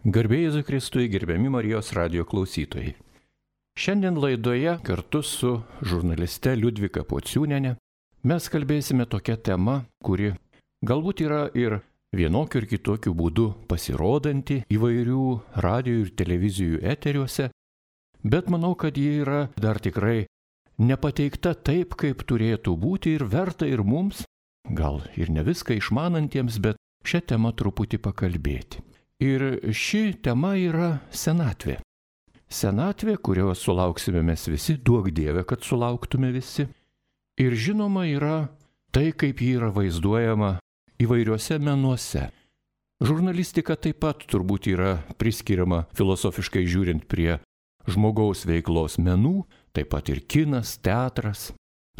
Garbė Jėzui Kristui, gerbiami Marijos radijo klausytojai. Šiandien laidoje kartu su žurnaliste Liudvika Pociūniene mes kalbėsime tokią temą, kuri galbūt yra ir vienokiu ir kitokiu būdu pasirodanti įvairių radijo ir televizijų eteriuose, bet manau, kad ji yra dar tikrai nepateikta taip, kaip turėtų būti ir verta ir mums, gal ir ne viską išmanantiems, bet šią temą truputį pakalbėti. Ir ši tema yra senatvė. Senatvė, kurios sulauksime mes visi, duok Dieve, kad sulauktume visi. Ir žinoma yra tai, kaip ji yra vaizduojama įvairiuose menuose. Žurnalistika taip pat turbūt yra priskiriama filosofiškai žiūrint prie žmogaus veiklos menų, taip pat ir kinas, teatras,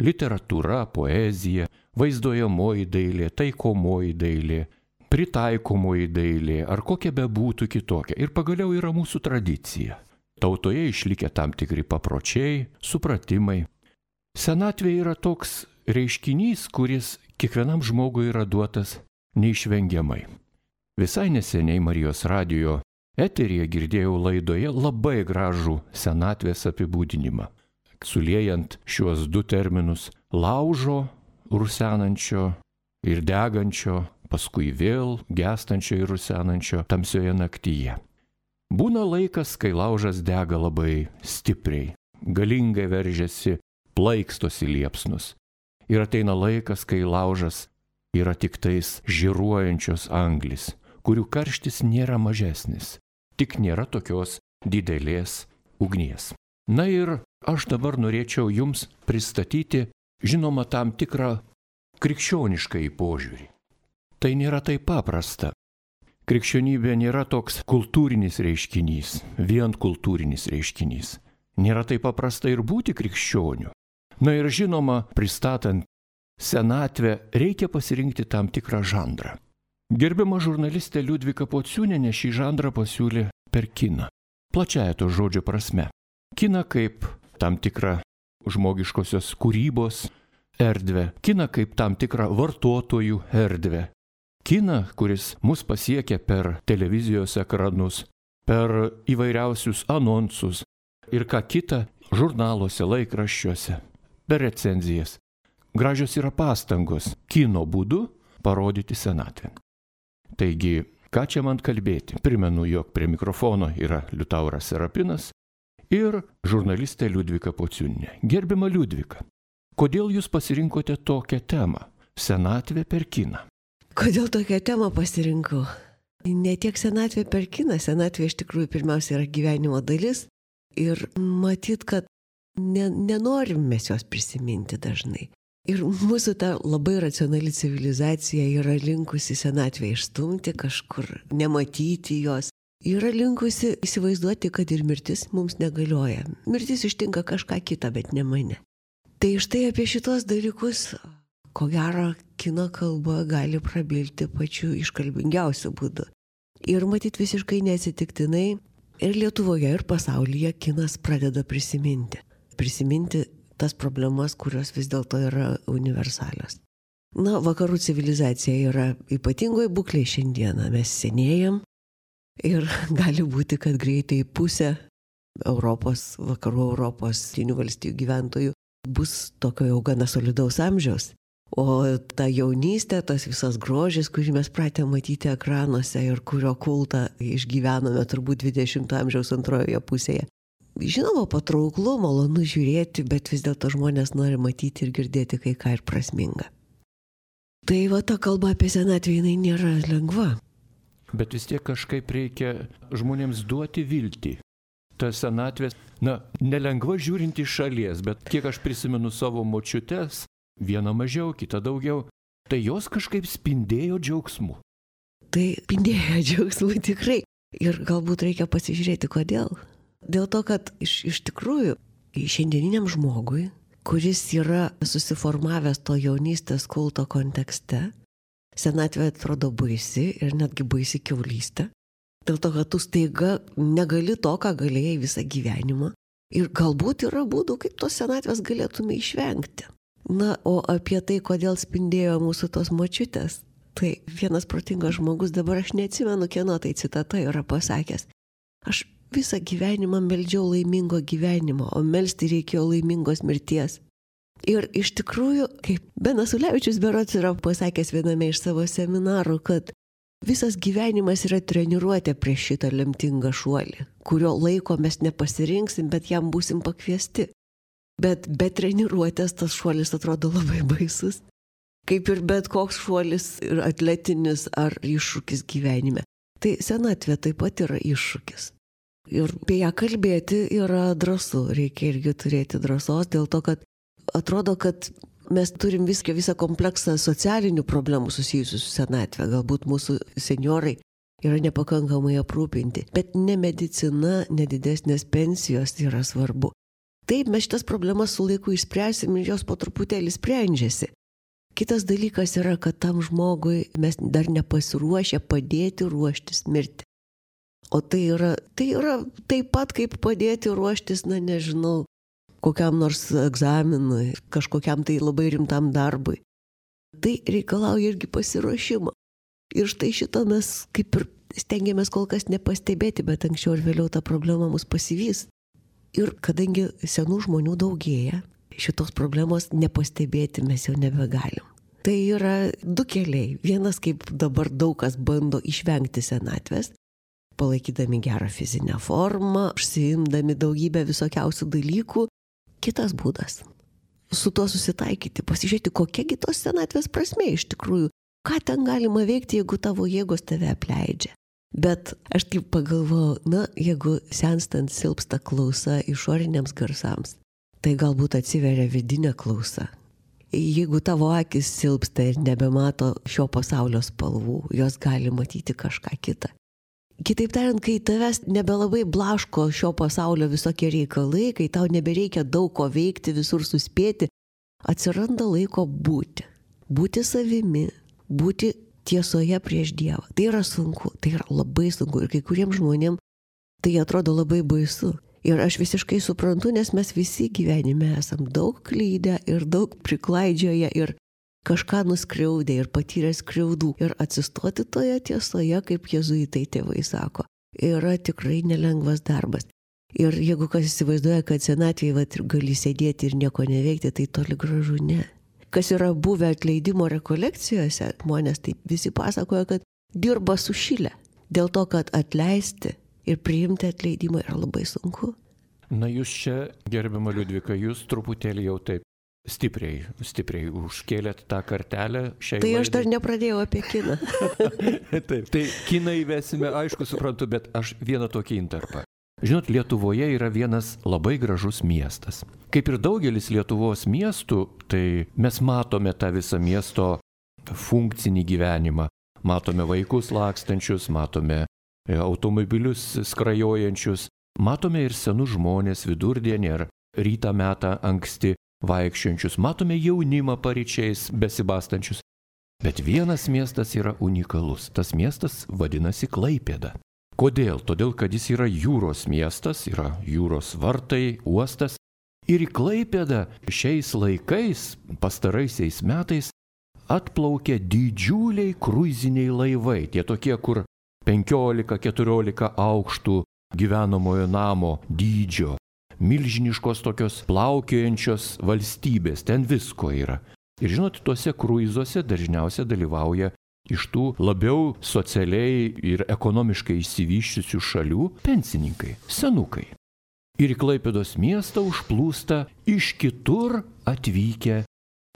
literatūra, poezija, vaizduojamoji dailė, taikomoji dailė, pritaikomoji dailė ar kokia bebūtų kitokia. Ir pagaliau yra mūsų tradicija. Tautoje išlikę tam tikri papročiai, supratimai. Senatvė yra toks reiškinys, kuris kiekvienam žmogui yra duotas neišvengiamai. Visai neseniai Marijos radijo eteryje girdėjau laidoje labai gražų senatvės apibūdinimą. Suliejant šiuos du terminus - laužo, rusenančio ir degančio, paskui vėl gęstančio ir rusenančio tamsioje naktyje. Būna laikas, kai laužas dega labai stipriai, galingai veržiasi, plaikstosi liepsnus. Ir ateina laikas, kai laužas yra tik tais žiruojančios anglis, kurių karštis nėra mažesnis, tik nėra tokios didelės ugnies. Na ir aš dabar norėčiau jums pristatyti, žinoma, tam tikrą krikščionišką požiūrį. Tai nėra taip paprasta. Krikščionybė nėra toks kultūrinis reiškinys, vien kultūrinis reiškinys. Nėra taip paprasta ir būti krikščioniu. Na ir žinoma, pristatant senatvę, reikia pasirinkti tam tikrą žanrą. Gerbiama žurnalistė Liudvika Pociūnienė šį žanrą pasiūlė per kiną. Plačiąja to žodžio prasme. Kiną kaip tam tikrą žmogiškosios kūrybos erdvę, kiną kaip tam tikrą vartotojų erdvę. Kiną, kuris mus pasiekia per televizijos ekranus, per įvairiausius anonsus ir ką kita žurnaluose, laikraščiuose, per recenzijas. Gražios yra pastangos kino būdu parodyti senatvę. Taigi, ką čia man kalbėti? Primenu, jog prie mikrofono yra Liutauras Serapinas ir žurnalistė Liudvika Pociūnienė. Gerbiama Liudvika, kodėl jūs pasirinkote tokią temą - senatvė per kiną? Kodėl tokią temą pasirinkau? Ne tiek senatvė per kiną, senatvė iš tikrųjų pirmiausia yra gyvenimo dalis ir matyt, kad nenorim mes jos prisiminti dažnai. Ir mūsų ta labai racionali civilizacija yra linkusi senatvę išstumti kažkur, nematyti jos. Yra linkusi įsivaizduoti, kad ir mirtis mums negalioja. Mirtis ištinka kažką kitą, bet ne mane. Tai štai apie šitos dalykus, ko gero, kino kalba gali prabilti pačiu iškalbingiausiu būdu. Ir matyt visiškai neatsitiktinai ir Lietuvoje, ir pasaulyje kinas pradeda prisiminti. Prisiminti tas problemas, kurios vis dėlto yra universalios. Na, vakarų civilizacija yra ypatingoje būklėje šiandieną. Mes senėjam ir gali būti, kad greitai pusė Europos, vakarų Europos, Jungtinių valstijų gyventojų bus tokio jau gana solidaus amžiaus. O ta jaunystė, tas visas grožis, kurį mes pratę matyti ekranuose ir kurio kultą išgyvenome turbūt 20 amžiaus antrojoje pusėje. Žinoma, patrauklu, malonu žiūrėti, bet vis dėlto žmonės nori matyti ir girdėti kai ką ir prasminga. Tai va, ta kalba apie senatvę, jinai nėra lengva. Bet vis tiek kažkaip reikia žmonėms duoti viltį. Ta senatvės, nelengva žiūrint iš šalies, bet kiek aš prisimenu savo močiutes, viena mažiau, kita daugiau, tai jos kažkaip spindėjo džiaugsmu. Tai spindėjo džiaugsmu tikrai. Ir galbūt reikia pasižiūrėti, kodėl. Dėl to, kad iš tikrųjų šiandieniniam žmogui, kuris yra susiformavęs to jaunystės kulto kontekste, senatvė atrodo baisi ir netgi baisi kiaulystė. Dėl to, kad tu staiga negali to, ką galėjai visą gyvenimą. Ir galbūt yra būdų, kaip tos senatvės galėtume išvengti. Na, o apie tai, kodėl spindėjo mūsų tos močiutės, Tai vienas protingas žmogus, dabar aš neatsimenu, kieno tai citata yra pasakęs. Aš visą gyvenimą meldžiau laimingo gyvenimo, o melsti reikėjo laimingos mirties. Ir iš tikrųjų, kaip Benas Ulevičius berods yra pasakęs viename iš savo seminarų, kad visas gyvenimas yra treniruotė prieš šitą lemtingą šuolį, kurio laiko mes nepasirinksim, bet jam būsim pakviesti. Bet be treniruotės tas šuolis atrodo labai baisus. Kaip ir bet koks šuolis ir atletinis ar iššūkis gyvenime. Tai senatvė taip pat yra iššūkis. Ir apie ją kalbėti yra drąsu, reikia irgi turėti drąsos, dėl to, kad atrodo, kad mes turim visą kompleksą socialinių problemų susijusių su senatvė. Galbūt mūsų senjorai yra nepakankamai aprūpinti, bet ne medicina, ne didesnės pensijos yra svarbu. Taip, mes šitas problemas su laiku išspręsim ir jos po truputėlį sprendžiasi. Kitas dalykas yra, kad tam žmogui mes dar nepasiruošę padėti ruoštis mirti. O tai yra taip pat kaip padėti ruoštis, nežinau, kokiam nors egzaminui, kažkokiam tai labai rimtam darbui. Tai reikalauja irgi pasiruošimo. Ir štai šito mes kaip ir stengiamės kol kas nepastebėti, bet anksčiau ir vėliau ta problema mus pasivys. Ir kadangi senų žmonių daugėja, šitos problemos nepastebėti mes jau nebegalim. Tai yra du keliai. Vienas, kaip dabar daug kas bando išvengti senatvės, palaikydami gerą fizinę formą, užsiimdami daugybę visokiausių dalykų. Kitas būdas. Su tuo susitaikyti, pasižiūrėti, kokiagi tos senatvės prasmė iš tikrųjų. Ką ten galima veikti, jeigu tavo jėgos tave apleidžia. Bet aš taip pagalvojau, jeigu senstant silpsta klausa išoriniams garsams, tai galbūt atsiveria vidinė klausa. Jeigu tavo akis silpsta ir nebemato šio pasaulio spalvų, jos gali matyti kažką kitą. Kitaip tariant, kai tavęs nebelabai blaško šio pasaulio visokie reikalai, kai tau nebereikia daug ko veikti, visur suspėti, atsiranda laiko būti. Būti savimi, būti tiesoje prieš Dievą. Tai yra sunku, tai yra labai sunku ir kai kuriems žmonėms tai atrodo labai baisu. Ir aš visiškai suprantu, nes mes visi gyvenime esam daug klydę ir daug priklaidžioję ir kažką nuskriaudę ir patyrę skriaudų. Ir atsistoti toje tiesoje, kaip jėzuitai tėvai sako, yra tikrai nelengvas darbas. Ir jeigu kas įsivaizduoja, kad senatvėje gali sėdėti ir nieko neveikti, tai toli gražu ne. Kas yra buvę atleidimo rekolekcijose, žmonės taip visi pasakoja, kad dirba sušilę. Dėl to, kad atleisti ir priimti atleidimą yra labai sunku. Na jūs čia, gerbiama Liudvika, jūs truputėlį jau taip stipriai užkėlėt tą kartelę šiai laidai. Tai aš dar nepradėjau apie kiną. Taip, tai kiną įvesime, aišku, suprantu, bet aš vieną tokį intarpą. Žinot, Lietuvoje yra vienas labai gražus miestas. Kaip ir daugelis Lietuvos miestų, tai mes matome tą visą miesto funkcinį gyvenimą. Matome vaikus lakstančius, matome automobilius skrajojančius, matome ir senus žmonės vidurdienį ar rytą metą anksti vaikščiančius, matome jaunimą paryčiais besibastančius. Bet vienas miestas yra unikalus. Tas miestas vadinasi Klaipėda. Kodėl? Todėl, kad jis yra jūros miestas, yra jūros vartai, uostas. Ir į Klaipėdą šiais laikais, pastaraisiais metais, atplaukia didžiuliai kruiziniai laivai. Tie tokie, kur 15-14 aukštų gyvenamojo namo dydžio. Milžiniškos tokios plaukiojančios valstybės, ten visko yra. Ir žinot, tuose kruizuose dažniausiai dalyvauja iš tų labiau socialiai ir ekonomiškai išsivysčiusių šalių pensininkai, senukai. Ir į Klaipėdos miestą užplūsta iš kitur atvykę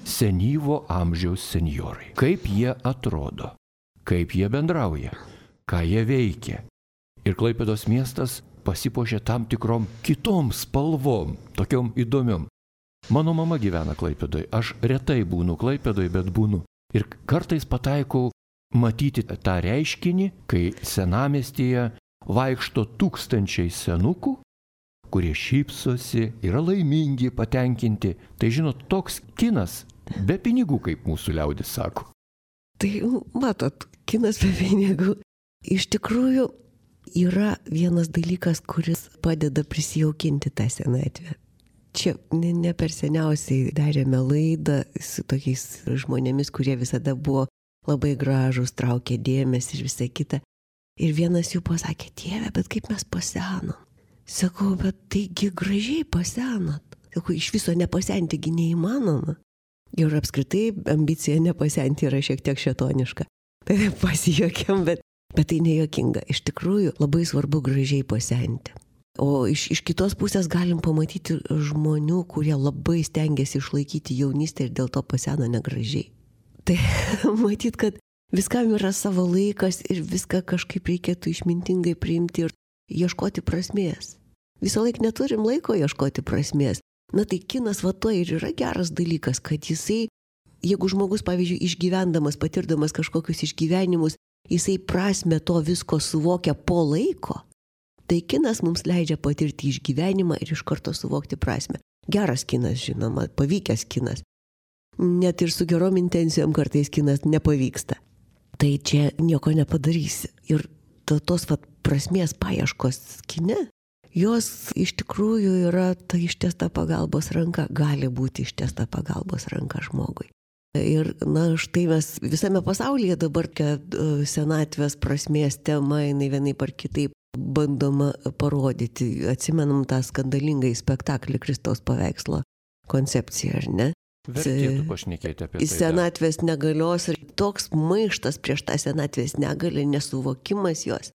senyvo amžiaus senjorai. Kaip jie atrodo, kaip jie bendrauja, ką jie veikia. Ir Klaipėdos miestas pasipuošia tam tikrom kitom spalvom, tokiom įdomiom. Mano mama gyvena Klaipėdoje, aš retai būnu Klaipėdoje, bet būnu. Ir kartais pataikau matyti tą reiškinį, kai senamiestyje vaikšto tūkstančiai senukų, kurie šypsosi, yra laimingi, patenkinti. Tai žinot, toks kinas be pinigų, kaip mūsų liaudis sako. Tai matot, kinas be pinigų. Iš tikrųjų yra vienas dalykas, kuris padeda prisijaukinti tą senatvę. Čia ne per seniausiai darėme laidą su tokiais žmonėmis, kurie visada buvo labai gražus, traukė dėmesį ir visą kitą. Ir vienas jų pasakė, Dieve, bet kaip mes pasenom. Sakau, bet taigi gražiai pasenot. Sakau, iš viso nepasentigi neįmanoma. Ir apskritai ambicija nepasenti yra šiek tiek šėtoniška. Tai pasijuokėm, bet tai nejuokinga. Iš tikrųjų labai svarbu gražiai pasenti. O iš kitos pusės galim pamatyti žmonių, kurie labai stengiasi išlaikyti jaunystę ir dėl to pasena negražiai. Tai matyt, kad viskam yra savo laikas ir viską kažkaip reikėtų išmintingai priimti ir ieškoti prasmės. Visą laiką neturim laiko ieškoti prasmės. Na tai kinas va to ir yra geras dalykas, kad jisai, jeigu žmogus, pavyzdžiui, išgyvendamas, patirdamas kažkokius išgyvenimus, jisai prasmę to visko suvokia po laiko, tai kinas mums leidžia patirti išgyvenimą ir iš karto suvokti prasmę. Geras kinas, žinoma, pavykęs kinas. Net ir su gerom intencijom kartais kinas nepavyksta. Tai čia nieko nepadarysi. Ir tos prasmės paieškos kine, jos iš tikrųjų yra ta ištiesta pagalbos ranka, gali būti ištiesta pagalbos ranka žmogui. Ir štai mes visame pasaulyje dabar, kad senatvės prasmės tema, jinai vienaip ar kitaip bandoma parodyti. Atsimenam tą skandalingą spektaklį Kristaus paveikslo koncepciją, ar ne? Vertėtų pašnekėti apie tai. Senatvės negalios ir toks maištas prieš tą senatvės negalę, nesuvokimas jos.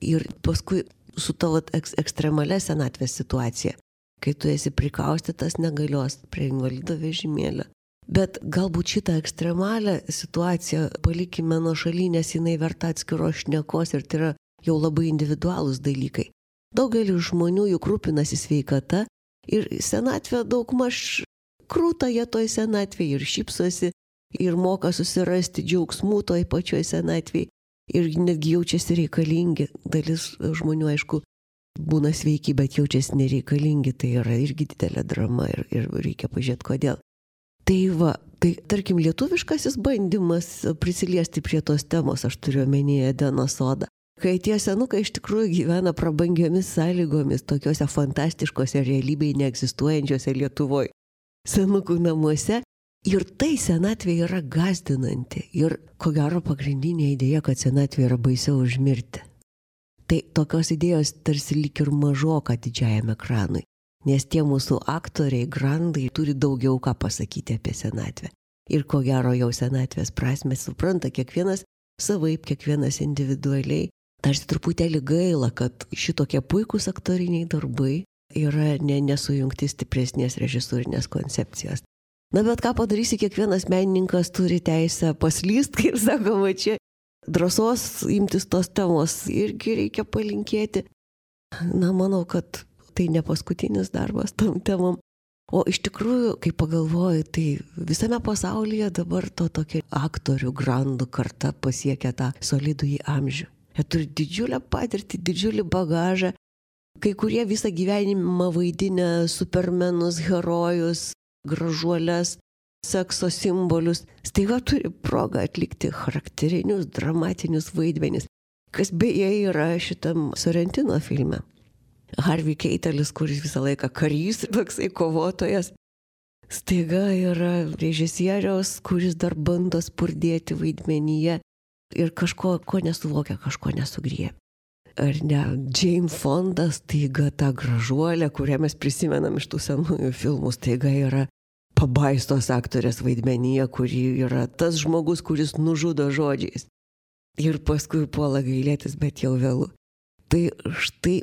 Ir paskui su tavo ekstremalia senatvės situacija, kai tu esi prikaustytas negalios prie invalido vežimėlio. Bet galbūt šitą ekstremalią situaciją palikime nuo šaly, nes jinai verta atskiros šnekos ir tai yra jau labai individualūs dalykai. Daugelis žmonių juk rūpinasi sveikata ir senatvė daugmaž krūta jie toj senatvėje ir šypsosi ir moka susirasti džiaugsmų toj pačioj senatvėje ir netgi jaučiasi reikalingi. Dalis žmonių, aišku, būna sveiki, bet jaučiasi nereikalingi, tai yra irgi didelė drama ir reikia pažiūrėti kodėl. Tai tarkim lietuviškasis bandymas prisiliesti prie tos temos, aš turiu omenyje Edeno sodą. Kai tie senukai iš tikrųjų gyvena prabangiomis sąlygomis, tokiuose fantastiškose realybėje neegzistuojančiose Lietuvoje senukų namuose. Ir tai senatvė yra gąsdinanti. Ir ko gero pagrindinė idėja, kad senatvė yra baisiau už mirtį. Tai tokios idėjos tarsi lyg ir mažoka didžiajam ekranui. Nes tie mūsų aktoriai, grandai turi daugiau ką pasakyti apie senatvę. Ir ko gero jau senatvės prasmę supranta kiekvienas savaip, kiekvienas individualiai. Tarsi truputėlį gaila, kad šitokie puikūs aktoriniai darbai yra nesujungti stipresnės režisūrinės koncepcijos. Na bet ką padarysi, kiekvienas menininkas turi teisę paslyst, kaip sakoma, čia drąsos imtis tos temos irgi reikia palinkėti. Na, manau, kad tai ne paskutinis darbas tom temom. O iš tikrųjų, kai pagalvoju, tai visame pasaulyje dabar to tokia aktorių grandų karta pasiekia tą solidų į amžių. Jie turi didžiulę patirtį, didžiulį bagažą. Kai kurie visą gyvenimą vaidinę supermenus, herojus, gražuolės, sekso simbolius, staiga turi progą atlikti charakterinius, dramatinius vaidmenis, kas beje yra šitam Sorrentino filme. Harvey Keitelis, kuris visą laiką karys, toksai kovotojas, staiga yra režisieriaus, kuris dar bando spurdėti vaidmenyje ir kažko, ko nesuvokia, kažko nesugriebia. Ar ne, Jane Fonda staiga ta gražuolė, kurią mes prisimenam iš tų senųjų filmų, staiga yra pabaistos aktorės vaidmenyje, kuri yra tas žmogus, kuris nužudo žodžiais. Ir paskui puola gailėtis, bet jau vėlu. Tai štai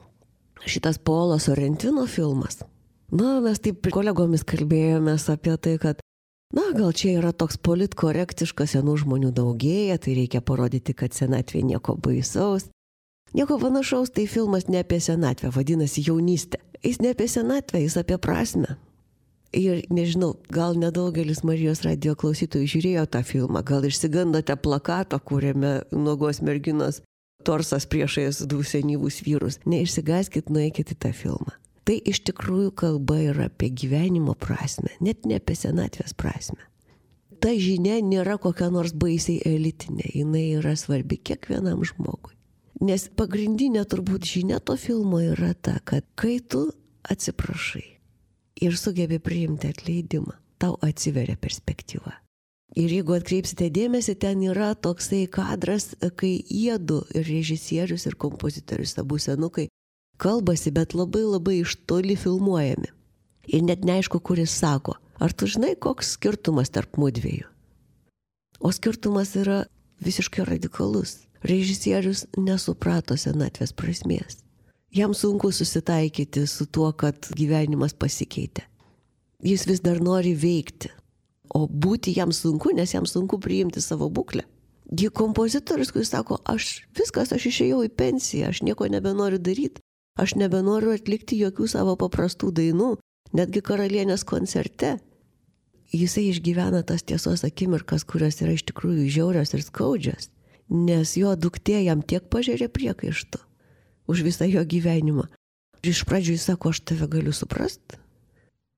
šitas Paolo Sorrentino filmas. Na, mes taip kolegomis kalbėjomės apie tai, kad gal čia yra toks politkorektiškas, senų žmonių daugėja, tai reikia parodyti, kad senatvė nieko baisaus. Nieko panašaus, tai filmas ne apie senatvę, vadinasi jaunystė. Jis ne apie senatvę, jis apie prasmę. Ir nežinau, gal nedaugelis Marijos radijo klausytojų žiūrėjo tą filmą, gal išsigandote plakato, kuriame nuogos merginos torsas priešais du senyvus vyrus. Neišsigąskit, nueikit į tą filmą. Tai iš tikrųjų kalba yra apie gyvenimo prasmę, net ne apie senatvės prasmę. Ta žinia nėra kokia nors baisiai elitinė, jinai yra svarbi kiekvienam žmogui. Nes pagrindinė turbūt žinia to filmo yra ta, kad kai tu atsiprašai ir sugebi priimti atleidimą, tau atsiveria perspektyva. Ir jeigu atkreipsite dėmesį, ten yra toksai kadras, kai jiedu, ir režisierius, ir kompozitorius, abu senukai, kalbasi, bet labai labai iš toli filmuojami. Ir net neaišku, kuris sako, ar tu žinai, koks skirtumas tarp mudviejų? O skirtumas yra visiškai radikalus. Režisierius nesuprato senatvės prasmės. Jam sunku susitaikyti su tuo, kad gyvenimas pasikeitė. Jis vis dar nori veikti. O būti jam sunku, nes jam sunku priimti savo būklę. Gi kompozitorius, kuris sako, aš išėjau į pensiją, aš nieko nebenoriu daryti, aš nebenoriu atlikti jokių savo paprastų dainų, netgi karalienės koncerte. Jisai išgyvena tas tiesos akimirkas, kurios yra iš tikrųjų žiaurios ir skaudžios, nes jo duktė jam tiek pažėrė priekaištų už visą jo gyvenimą. Ir iš pradžių jis sako, aš tave galiu suprasti.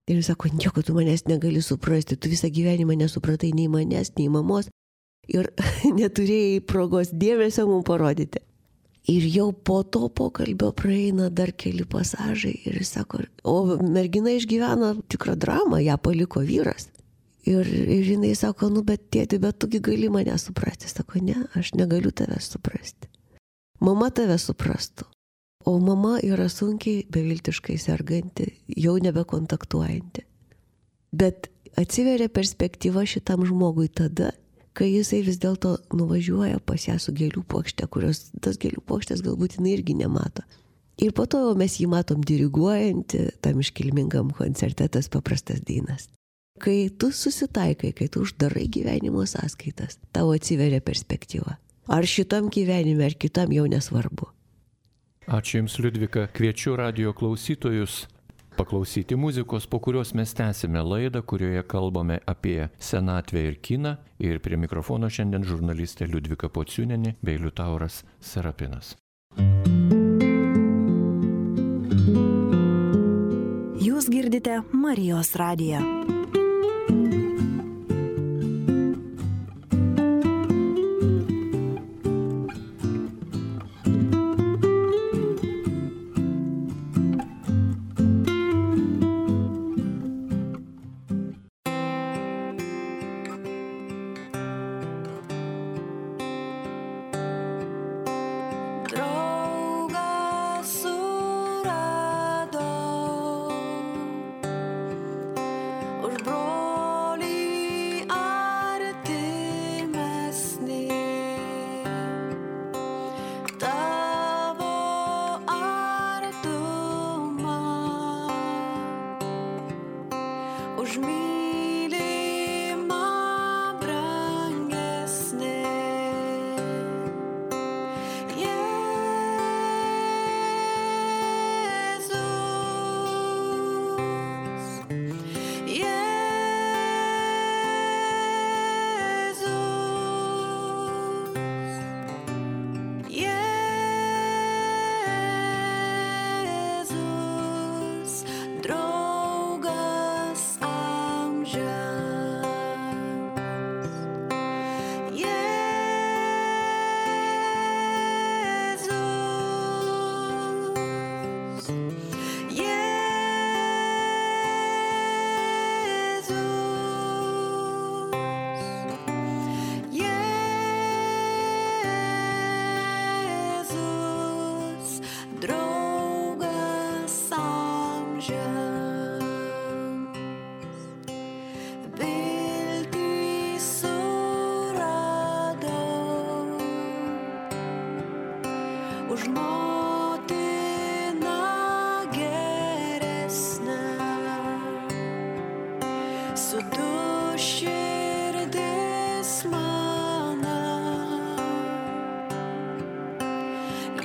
Ir jis sako, nieko tu manęs negali suprasti, tu visą gyvenimą nesupratai nei manęs, nei mamos ir neturėjai progos dėmesio mums parodyti. Ir jau po to pokalbio praeina dar keli pasažai ir jis sako, o mergina išgyveno tikrą dramą, ją paliko vyras. Ir jinai sako, bet tėti, bet tugi gali mane suprasti. Sako, ne, aš negaliu tave suprasti. Mama tave suprastų. O mama yra sunkiai, beviltiškai serganti, jau nebekontaktuojanti. Bet atsiveria perspektyva šitam žmogui tada, kai jisai vis dėlto nuvažiuoja pas ją su gėlių puokšte, kurios tas gėlių puokštės galbūt jinai irgi nemato. Ir po to jau mes jį matom diriguojantį tam iškilmingam koncerte tas paprastas dainas. Kai tu susitaikai, kai tu uždarai gyvenimo sąskaitas, tau atsiveria perspektyva. Ar šitam gyvenime, ar kitam jau nesvarbu. Ačiū Jums, Liudvika. Kviečiu radijo klausytojus paklausyti muzikos, po kurios mes tęsime laidą, kurioje kalbame apie senatvę ir kiną. Ir prie mikrofono šiandien žurnalistė Liudvika Pociūnienė bei Liutauras Serapinas. Jūs girdite Marijos radiją.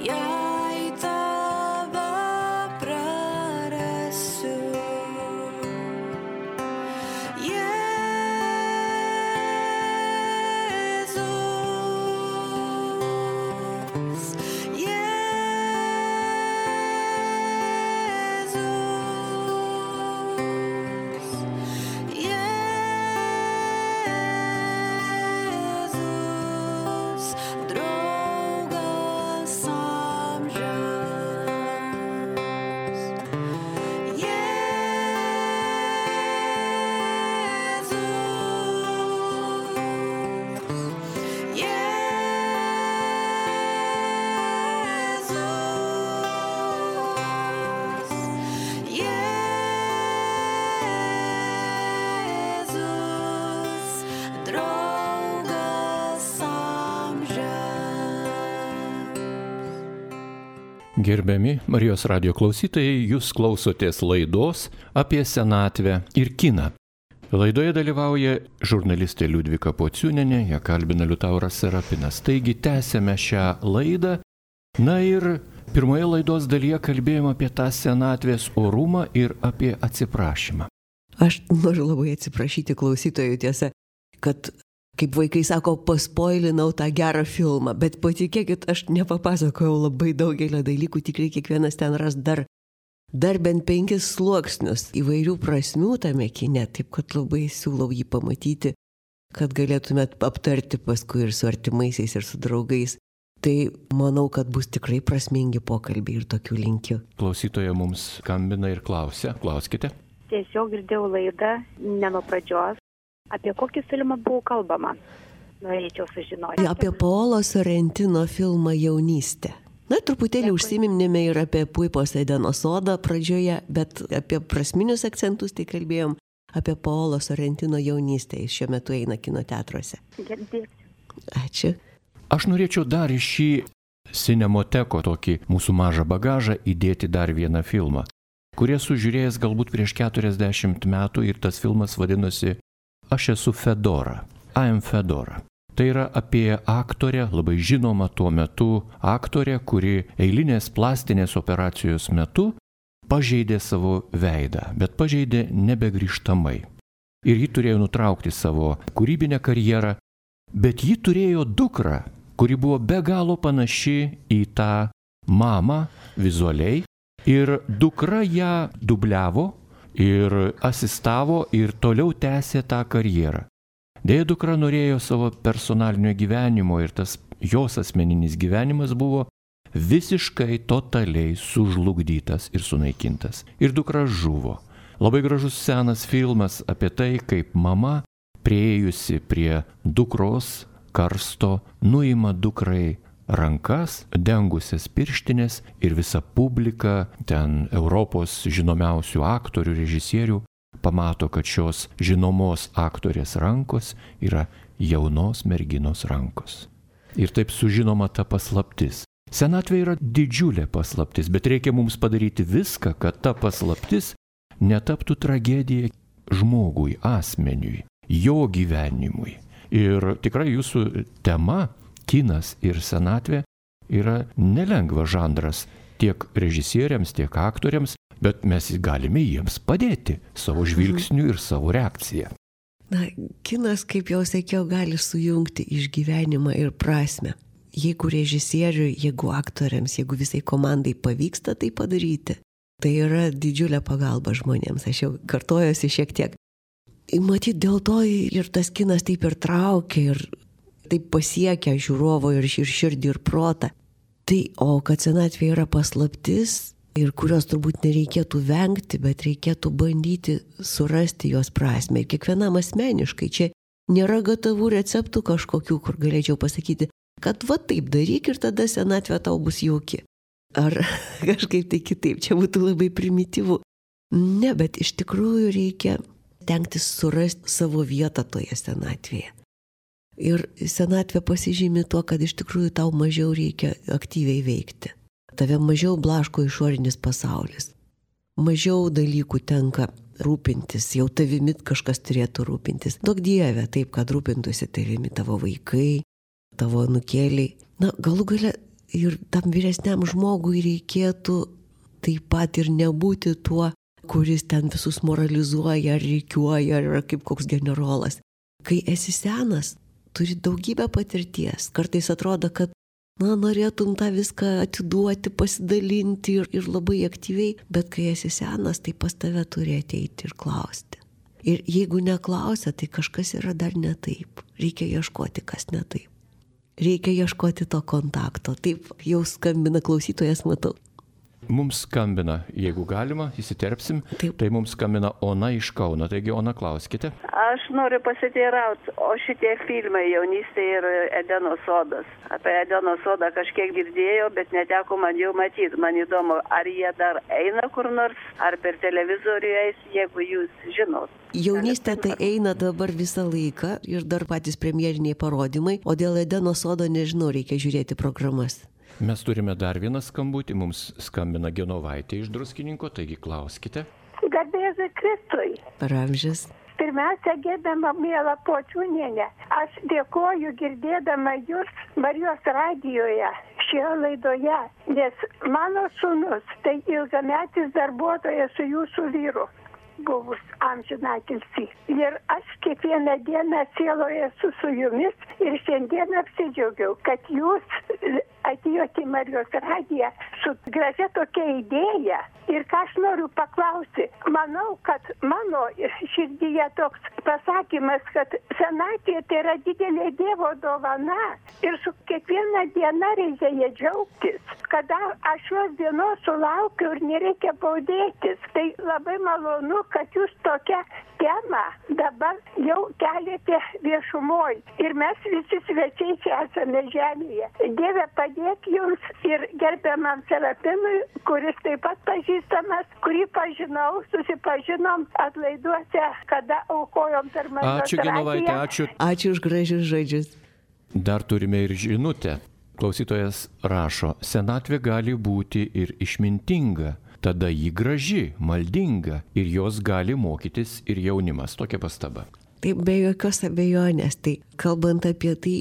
Jei ta Gerbiami Marijos radijo klausytojai, jūs klausotės laidos apie senatvę ir kiną. Laidoje dalyvauja žurnalistė Liudvika Pociūnienė, ją kalbina Liutauras Serapinas. Taigi tęsėme šią laidą. Na ir pirmoje laidos dalyje kalbėjome apie tą senatvės orumą ir apie atsiprašymą. Aš noriu labai atsiprašyti klausytojų, tiesa, kad, kaip vaikai sako, paspoilinau tą gerą filmą, bet patikėkit, aš nepapasakojau labai daugelio dalykų, tikrai kiekvienas ten ras dar bent 5 sluoksnius įvairių prasmių tame kine, taip kad labai siūlau jį pamatyti, kad galėtumėt aptarti paskui ir su artimaisiais, ir su draugais. Tai manau, kad bus tikrai prasmingi pokalbiai ir tokių linkiu. Klausytoja mums skambina ir klausia. Klauskite. Tiesiog girdėjau laidą, ne nuo pradžios. Apie kokį filmą buvo kalbama? Norėčiau sužinoti. Apie Paolo Sorrentino filmą Jaunystė. Na, truputėlį užsiminėme ir apie Puipos Edeno sodą pradžioje, bet apie prasminius akcentus tai kalbėjom apie Paolo Sorrentino Jaunystę. Jis šiuo metu eina kino teatruose. Ačiū. Aš norėčiau dar į šį Cinemoteko tokį mūsų mažą bagažą įdėti dar vieną filmą, kurį esu žiūrėjęs galbūt prieš 40 metų ir tas filmas vadinosi Aš esu Fedora. I am Fedora. Tai yra apie aktorę, labai žinomą tuo metu aktorę, kuri eilinės plastinės operacijos metu pažeidė savo veidą, bet pažeidė nebegrįžtamai. Ir ji turėjo nutraukti savo kūrybinę karjerą, bet ji turėjo dukrą, kuri buvo be galo panaši į tą mamą vizualiai. Ir dukra ją dubliavo ir asistavo ir toliau tęsė tą karjerą. Deja, dukra norėjo savo personalinio gyvenimo ir tas jos asmeninis gyvenimas buvo visiškai totaliai sužlugdytas ir sunaikintas. Ir dukra žuvo. Labai gražus senas filmas apie tai, kaip mama, priėjusi prie dukros karsto, nuima dukrai rankas, dengusias pirštinės ir visa publika, ten Europos žinomiausių aktorių, režisierių, pamato, kad šios žinomos aktorės rankos yra jaunos merginos rankos. Ir taip sužinoma ta paslaptis. Senatvė yra didžiulė paslaptis, bet reikia mums padaryti viską, kad ta paslaptis netaptų tragedija žmogui, asmeniui, jo gyvenimui. Ir tikrai jūsų tema, kinas ir senatvė, yra nelengvas žanras tiek režisieriams, tiek aktoriams, bet mes galime jiems padėti savo žvilgsniu ir savo reakciją. Na, kinas, kaip jau sakiau, gali sujungti išgyvenimą ir prasmę. Jeigu režisieriui, jeigu aktoriams, jeigu visai komandai pavyksta tai padaryti, tai yra didžiulė pagalba žmonėms. Aš jau kartojuosi šiek tiek. Matyt, dėl to ir tas kinas taip ir traukia, ir taip pasiekia žiūrovo ir širdį ir protą. Tai, o kad senatvė yra paslaptis, ir kurios turbūt nereikėtų vengti, bet reikėtų bandyti surasti jos prasmę. Ir kiekvienam asmeniškai. Čia nėra gatavų receptų kažkokių, kur galėčiau pasakyti, kad va taip daryk ir tada senatvė tau bus jauki. Ar kažkaip tai kitaip. Čia būtų labai primityvu. Ne, bet iš tikrųjų reikia tenktis surasti savo vietą toje senatvėje. Ir senatvė pasižymi tuo, kad iš tikrųjų tau mažiau reikia aktyviai veikti. Tave mažiau blaško išorinis pasaulis. Mažiau dalykų tenka rūpintis, jau tavimi kažkas turėtų rūpintis. Duok Dieve, taip, kad rūpintųsi tavimi tavo vaikai, tavo anūkėliai. Na, galų gale ir tam vyresniam žmogui reikėtų taip pat ir nebūti tuo, kuris ten visus moralizuoja, ar reikiuoja, ar kaip koks generolas. Kai esi senas, turi daugybę patirties. Kartais atrodo, kad norėtum tą viską atiduoti, pasidalinti ir labai aktyviai, bet kai esi senas, tai pas tave turi ateiti ir klausti. Ir jeigu neklausia, tai kažkas yra dar ne taip. Reikia ieškoti, kas ne taip. Reikia ieškoti to kontakto. Taip, jau skambina klausytojas, matau. Mums skambina, jeigu galima, įsiterpsim, Taip. Tai mums skambina Ona iš Kauno. Taigi, Ona, klauskite. Aš noriu pasiteirauti, o šitie filmai Jaunystė ir Edeno sodas. Apie Edeno sodą kažkiek girdėjau, bet neteko man jau matyti. Man įdomu, ar jie dar eina kur nors, ar per televizorių eis, jeigu jūs žinot. Jaunystė tai eina dabar visą laiką ir dar patys premjeriniai parodymai, o dėl Edeno sodo nežinau, reikia žiūrėti programas. Mes turime dar vieną skambutį, mums skambina Genovaitė iš Druskininko, taigi klauskite. Garbėzui Kristui. Per amžius. Pirmiausia, gerbiama miela Pociūnienė, aš dėkoju girdėdama jūs Marijos radijoje šioje laidoje, nes mano sūnus tai ilgametis darbuotojas su jūsų vyru, buvus amžinatilsį. Ir aš kiekvieną dieną sieloje esu su jumis ir šiandien apsidžiaugiau, kad jūs atėjote į Marijos radiją su gražia tokia idėja. Ir ką aš noriu paklausti, manau, kad mano širdyje toks pasakymas, kad senatvė tai yra didelė Dievo dovana ir su kiekviena diena reikia ją džiaugtis. Kada aš šios dienos sulaukiu ir nereikia baudėtis, tai labai malonu, kad jūs tokią temą dabar jau keliate viešumoj. Ir mes visi svečiai čia esame žemėje. Dieve padėk jums ir gerbiamam Serapinui, kuris taip pat pažįstamas, kurį pažinau, susipažinom atlaiduose, kada aukojom per Marijos Ačiū, Genovaitė, ačiū. Ačiū už gražius žodžius. Dar turime ir žinutę. Klausytojas rašo, senatvė gali būti ir išmintinga, tada ji graži, maldinga ir jos gali mokytis ir jaunimas. Tokia pastaba. Taip, be jokios abejonės. Tai kalbant apie tai,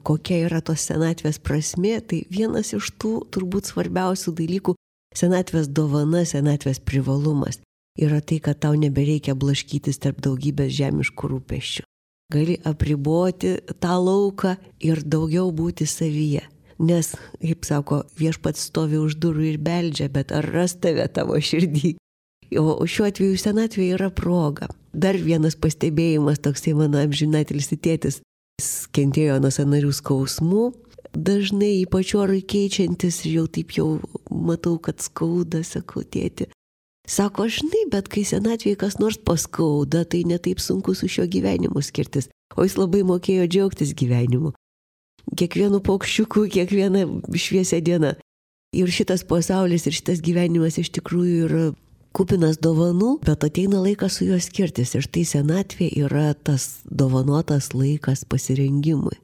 kokia yra tos senatvės prasmė, tai vienas iš tų turbūt svarbiausių dalykų, senatvės dovana, senatvės privalumas, yra tai, kad tau nebereikia blaškytis tarp daugybės žemiškų rūpesčių. Gali apriboti tą lauką ir daugiau būti savyje. Nes, kaip sako, viešpats stovi už durų ir beldžia, bet ar ras tave tavo širdį? O šiuo atveju senatvė yra proga. Dar vienas pastebėjimas, toksai mano amžinatilsį tėtis, jis kentėjo nuo sąnarių skausmų, dažnai ypač orui keičiantis ir jau taip jau matau, kad skauda, sakau, tėti. Sako, žinai, bet kai senatvėje kas nors paskauda, tai netaip sunku su šiuo gyvenimu skirtis. O jis labai mokėjo džiaugtis gyvenimu. Kiekvienu paukščiuku, kiekviena šviesia diena. Ir šitas pasaulis ir šitas gyvenimas iš tikrųjų yra kupinas dovanų, bet ateina laikas su juo skirtis. Ir tai senatvė yra tas dovanotas laikas pasirengimui.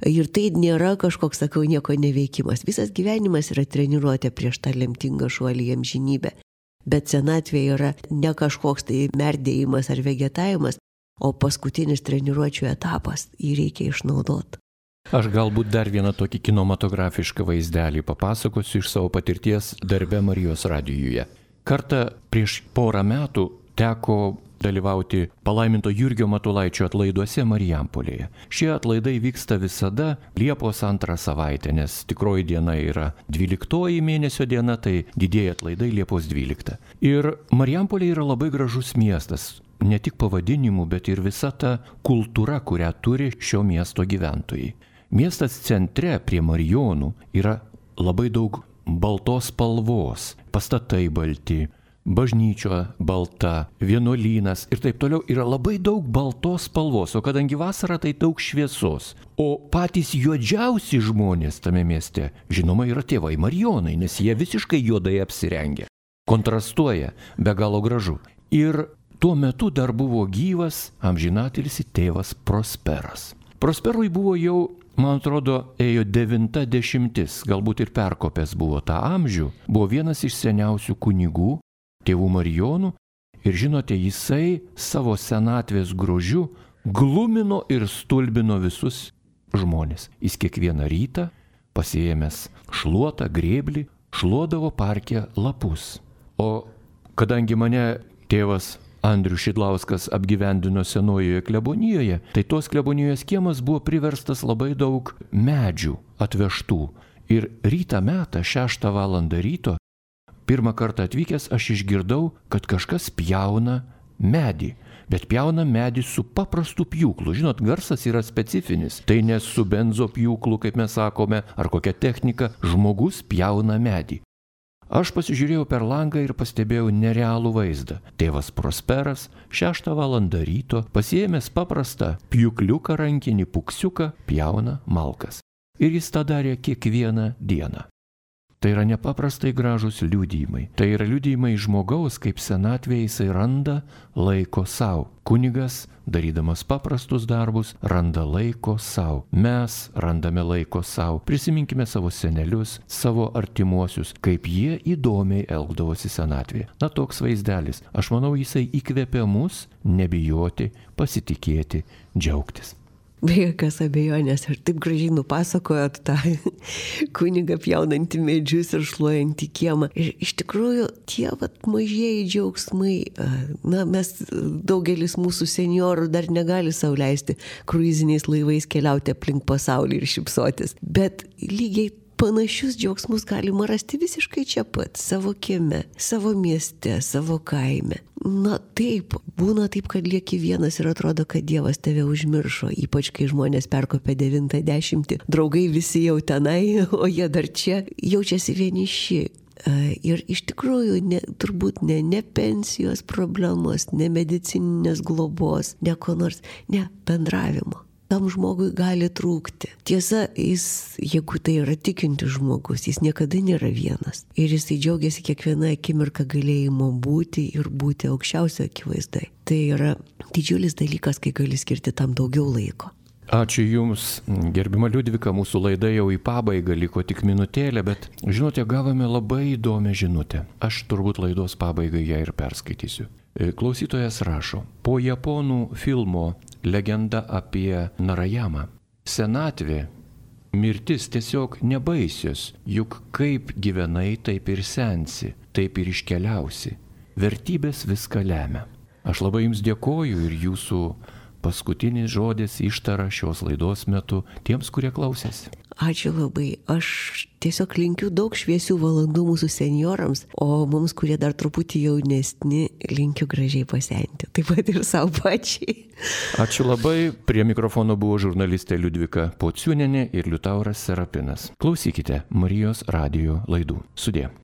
Ir tai nėra kažkoks, sakau, nieko neveikimas. Visas gyvenimas yra treniruotė prieš tą lemtingą šuolį į amžinybę. Bet senatvė yra ne kažkoks tai merdėjimas ar vegetavimas, o paskutinis treniruočių etapas. Jį reikia išnaudoti. Aš galbūt dar vieną tokį kinematografišką vaizdelį papasakosiu iš savo patirties darbe Marijos radijuje. Kartą prieš porą metų teko dalyvauti palaiminto Jurgio Matulaičio atlaiduose Marijampolėje. Šie atlaidai vyksta visada Liepos 2 savaitę, nes tikroji diena yra 12 mėnesio diena, tai didieji atlaidai Liepos 12. Ir Marijampolė yra labai gražus miestas, ne tik pavadinimu, bet ir visa ta kultūra, kurią turi šio miesto gyventojai. Miestas centre prie Marijonų yra labai daug baltos spalvos, pastatai balti, bažnyčia balta, vienuolynas ir taip toliau, yra labai daug baltos spalvos, o kadangi vasara tai daug šviesos. O patys juodžiausi žmonės tame mieste, žinoma, yra tėvai Marijonai, nes jie visiškai juodai apsirengę. Kontrastuoja, be galo gražu. Ir tuo metu dar buvo gyvas amžinatilsį tėvas Prosperas. Prosperui buvo jau, man atrodo, ėjo 90, galbūt ir perkopęs buvo tą amžių, buvo vienas iš seniausių kunigų, tėvų Marijonų, ir žinote, jisai savo senatvės grožiu glumino ir stulbino visus žmonės. Jis kiekvieną rytą, pasiėmęs šluotą, grėblį, šluodavo parke lapus. O kadangi mane tėvas Andrius Šidlauskas apgyvendino senojoje klebonijoje, tai tos klebonijos kiemas buvo priverstas labai daug medžių atvežtų. Ir rytą metą, 6 valandą ryto, pirmą kartą atvykęs aš išgirdau, kad kažkas pjauna medį. Bet pjauna medį su paprastu pjūklu. Žinot, garsas yra specifinis. Tai ne su benzo pjūklu, kaip mes sakome, ar kokia technika, žmogus pjauna medį. Aš pasižiūrėjau per langą ir pastebėjau nerealų vaizdą. Tėvas Prosperas 6 valandą ryto, pasiėmęs paprastą pjūkliuką rankinį puksiuką, pjauna malkas. Ir jis tą darė kiekvieną dieną. Tai yra nepaprastai gražus liudijimai. Tai yra liudijimai žmogaus, kaip senatvėje jisai randa laiko savo. Kunigas, darydamas paprastus darbus, randa laiko savo. Mes randame laiko savo. Prisiminkime savo senelius, savo artimuosius, kaip jie įdomiai elgdavosi senatvėje. Na, toks vaizdelis. Aš manau, jisai įkvėpia mus nebijoti, pasitikėti, džiaugtis. Be jokios abejonės, ir taip gražiai nupasakojot tą kunigą pjaunantį medžius ir šluojantį kiemą. Ir iš tikrųjų tie mažieji džiaugsmai, mes daugelis mūsų seniorų dar negali sau leisti kruiziniais laivais keliauti aplink pasaulį ir šypsotis. Bet lygiai panašius džiaugsmus galima rasti visiškai čia pat, savo kieme, savo mieste, savo kaime. Na taip, būna taip, kad lieki vienas ir atrodo, kad Dievas tave užmiršo, ypač kai žmonės perkopia 90, draugai visi jau tenai, o jie dar čia jaučiasi vieniši. Ir iš tikrųjų turbūt ne pensijos problemos, ne medicininės globos, ne ko nors, ne bendravimo. Tam žmogui gali trūkti. Tiesa, jeigu tai yra tikintis žmogus, jis niekada nėra vienas. Ir jisai džiaugiasi kiekvieną akimirką galėjimo būti ir būti aukščiausio akivaizdai. Tai yra didžiulis dalykas, kai gali skirti tam daugiau laiko. Ačiū Jums, gerbima Liudvika, mūsų laida jau į pabaigą, liko tik minutėlė, bet žinote, gavome labai įdomią žinutę. Aš turbūt laidos pabaigai ją ir perskaitysiu. Klausytojas rašo, po japonų filmo Legenda apie Narayamą. Senatvė, mirtis tiesiog nebaisios, juk kaip gyvenai, taip ir sensi, taip ir iškeliausi. Vertybės viską lemia. Aš labai Jums dėkoju ir Jūsų paskutinis žodis ištara šios laidos metu tiems, kurie klausėsi. Ačiū labai. Aš tiesiog linkiu daug šviesių valandų mūsų seniorams, o mums, kurie dar truputį jaunesni, linkiu gražiai pasenti. Taip pat ir savo pačiai. Ačiū labai. Prie mikrofono buvo žurnalistė Liudvika Pociūnienė ir Liutauras Serapinas. Klausykite Marijos radijo laidų. Sudie.